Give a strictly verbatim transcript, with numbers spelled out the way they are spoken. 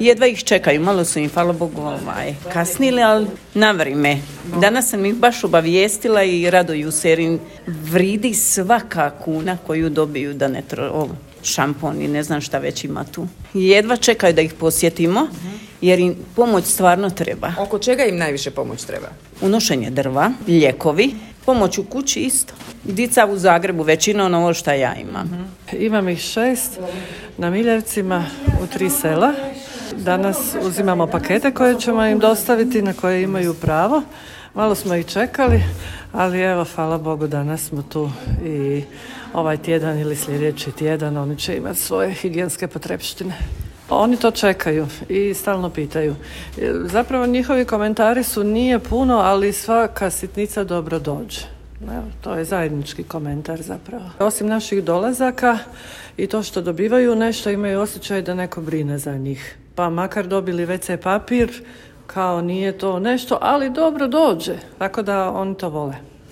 jedva ih čekaju, malo su im, hvala Bogu, ovaj, kasnili, ali na vrijeme. Danas sam ih baš obavijestila i raduju se jer im vridi svaka kuna koju dobiju da ne tro... O, šampon i ne znam šta već ima tu. Jedva čekaju da ih posjetimo jer im pomoć stvarno treba. Oko čega im najviše pomoć treba? Unošenje drva, lijekovi, pomoć u kući isto. Dica u Zagrebu većinom ovo što ja imam. Uh-huh. Imam ih šest na Miljevcima u tri sela. Danas uzimamo pakete koje ćemo im dostaviti, na koje imaju pravo. Malo smo ih čekali, ali evo, hvala Bogu, danas smo tu i ovaj tjedan ili sljedeći tjedan oni će imati svoje higijenske potrepštine. Oni to čekaju i stalno pitaju. Zapravo njihovi komentari su nije puno, ali svaka sitnica dobro dođe. Evo, to je zajednički komentar zapravo. Osim naših dolazaka i to što dobivaju nešto, imaju osjećaj da neko brine za njih. Pa makar dobili ve ce papir, kao nije to nešto, ali dobro dođe. Tako da oni to vole.